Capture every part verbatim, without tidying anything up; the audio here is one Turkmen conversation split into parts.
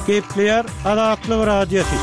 Gepleýär Azatlyk Radiosy.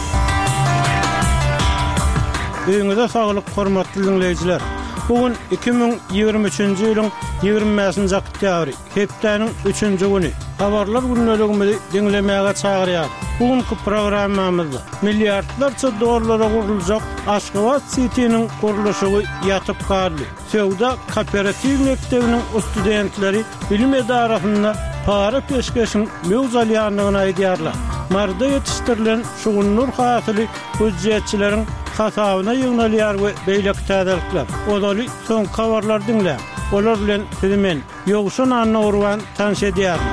Öýüňize saglyk, hormatly diňleýjiler. Bu gün iki müň ýigrimi üçünji ýylyň ýigrimi bäşinji oktýabry, hepdäniň üçünji güni. Habarlar gündeligimizi diňlemäge çagyrýar. Bu günki programmamyzda milliardlarça dollara guruljak Aşgabat Sitiniň gurluşygy ýatyp galdy. Söwda kooperatiw mekdebiniň studentleri bilim edarasynda para-peşgeşiň möwç alýandygyny aýdýarlar. Maryda ýetişdirilen şugundyr hasyly býujetçileriň hasabyna ýygnalýar we beýleki täzelikler. Ozaly soňky habarlary diňläň. Olar bilen sizi men, Ýowşan Annagurban tanyş edýärin.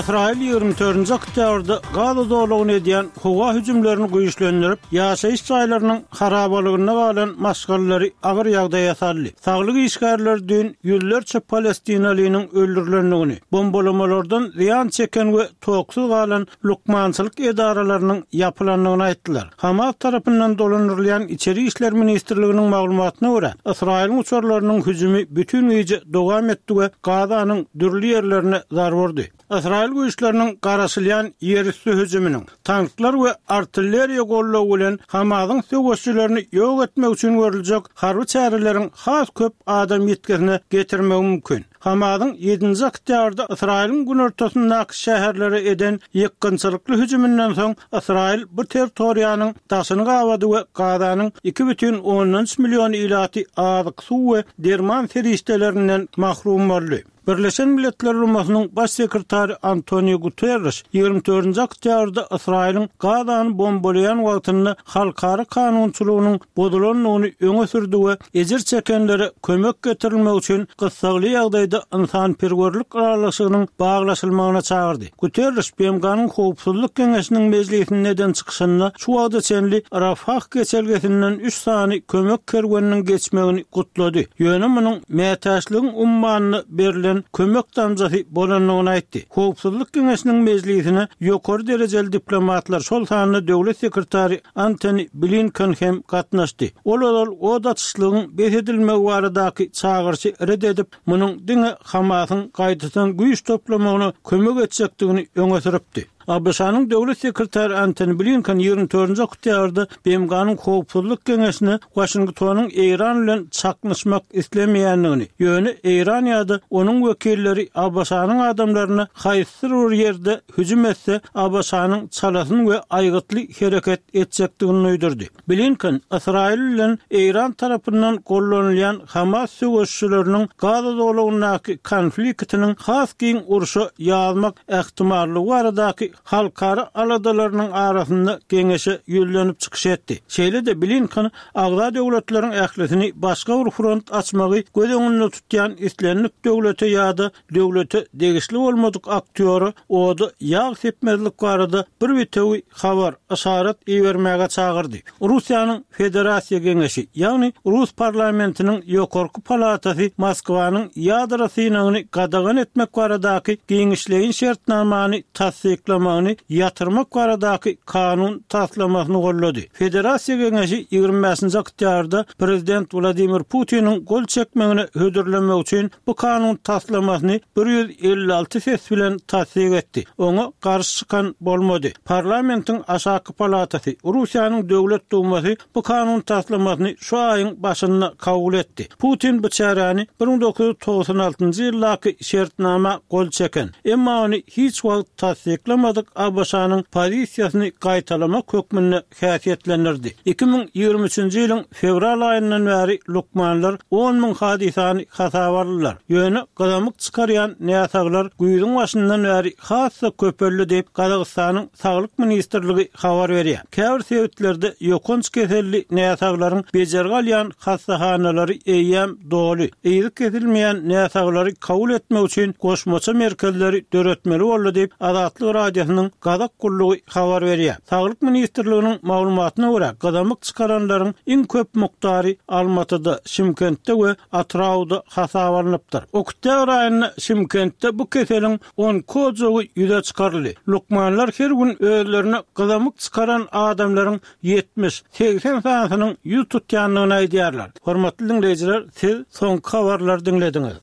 Ysraýyl ýigrimi dördünji oktýabrda Gaza zolagyna edýän howa hüjümlerini güýçlendirip, ýaşaýyş jaýlarynyň harabalygynda galan maşgalalary agyr ýagdaýa saldy. Saglyk işgärleri düýn ýüzlerçe palestinalynyň öldürilendigini, bombalamalardan zyýan çeken we toksuz galan lukmançylyk edaralarynyň ýapylandygyny aýtdylar. Hamas tarapyndan dolandyrylýan Içeri işler ministrliginiň maglumatyna görä, Ysraýylyň uçarlarynyň hüjümi bütin gije dowam etdi we Gazanyň dürli ýerlerine zarba urdy. Ysraýyl güýçleriniň garaşylýan ýerüsti hüjüminiň, tanklar we artilleriýa goldawy bilen Hamasyň söweşçilerini ýok etmek üçin görüljek harby çäreleriň has köp adam ýitgisine getirmegi mümkin. Hamasyň ýedinji oktýabrda Ysraýylyň günortasyndaky şäherlere eden ýykgynçylykly hüjüminden soň Ysraýyl bu territoriýanyň daşyny gabady we Gazanyň iki bütin ondan üç million ilaty azyk, suw we derman serişdelerinden mahrum boldy. Birleşen Milletler Guramasynyň Baş sekretary Antonio Guterreş ýigrimi dördünji oktýabrda Ysraýylyň Gazany bombalaýan wagtynda halkara kanunçylygynyň bozulandygyny öňe sürdi we ejir çekenlere kömek getirilmegi üçin gyssagly ýagdaýda ynsanperwerlik ylalaşygynyň baglaşylmagyna çagyrdy. Guterreş B M G-nyň Howpsuzlyk Geňeşiniň mejlisinde eden çykyşynda şu wagta çenli Rafah geçelgesinden üç sany kömek kerweniniň geçmegini gutlady. Ýöne munuň mätäçligiň ummanyna berlen kömek damjasy bolandygyny aýtdy. Howpsuzlyk Geňeşiniň mejlisine ýokary derejeli diplomatlar, şol sanda döwlet sekretary Antony Blinken hem gatnaşdy. Ol ozal od açyşlygyň bes edilmegi baradaky çagyryşy red edip, munuň diňe Hamasyň gaýtadan güýç toplamagyna kömek etjekdigini öňe sürüpdi. A B Ş-nyň döwlet sekretary Antony Blinken ýigrimi dördünji oktýabrda B M G-nyň Howpsuzlyk Geňeşine Waşingtonyň Eýran bilen çaknyşmak islemeýändigini, ýöne Eýran ýa-da onuň wekilleri A B Ş-nyň adamlaryna haýsydyr bir ýerde hüjüm etse, A B Ş-nyň çalasyn we aýgytly hereket etjekdigini duýdurdy. Blinken Ysraýyl bilen Eýran tarapyndan gollanylýan Hamas söweşçileriniň Gaza zolagyndaky konfliktiniň has giň urşa ýazmak ähtimallygy baradaky halkara aladalarynyň arasynda geňeşe ýüzlenip çykyş etdi. Şeýle-de Blinken agza döwletleriň ählisini başga bir front açmagy göz öňünde tutýan islendik döwlete ýa-da döwlete degişli bolmadyk aktýora oda ýag sepmezlik barada bir bitewi habar, yşarat ibermäge çagyrdy. Russiýanyň Federasiýa Geňeşi, ýagny Rus parlamentiniň ýokarky palatasy Moskwanyň ýadro synagyny gadagan etmek baradaky giňişleýin şertnamany tassyklamagyny ýatyrmak baradaky kanun taslamasyny gollady. Federasiýa Geňeşi ýigrimi bäşinji oktýabrda Prezident Wladimir Putiniň gol çekmegine hödürlemek üçin bu kanun taslamasyny bir ýüz elli alty ses bilen tassyk etdi. Oňa garşy çykan bolmady. Parlamentiň aşaky palatasy, Russiýanyň Döwlet Dumasy bu kanun taslamasyny şu aýyň başynda kabul etdi. Putin bu çäräni bir müň dokuz ýüz togsan altynjy ýyldaky şertnama gol çeken, emma ony hiç wagt tassyklamadyk A B Ş-nyň pozisiýasyny gaýtalamak hökmünde häsiýetlendirdi. Iki müň ýigrimi üçünji ýylyň fewral aýyndan bäri lukmanlar on müň hadysany hasaba aldylar. Ýöne gyzamyk çykarýan näsaglar güýzüň başyndan bäri has-da köpeldi diýip Gazagystanyň Saglyk ministrligi habar berýär. Käbir sebitlerde ýokanç keselli näsaglaryň bejergi alýan hastahanalary eýýäm doly. Yzy kesilmeýän näsaglary kabul etmek üçin goşmaça merkezleri döretmeli boldy diýip Azatlyk Radiosynyň Gazak gullugy habar berýär. Saglyk ministrliginiň maglumatyna görä, gyzamyk çykaranlaryň iň köp mukdary Almatyda, Şimkentde we Atyrauda hasaba alnypdyr. Oktýabr aýynda Şimkentde bu keseliň on kojagy ýüze çykaryldy. Lukmanlar her gün özlerine gyzamyk çykaran adamlaryň ýetmiş, segsen sanysynyň ýüz tutýandygyny aýdýarlar. Hormatly diňleýjiler, siz soňky habarlary diňlediňiz.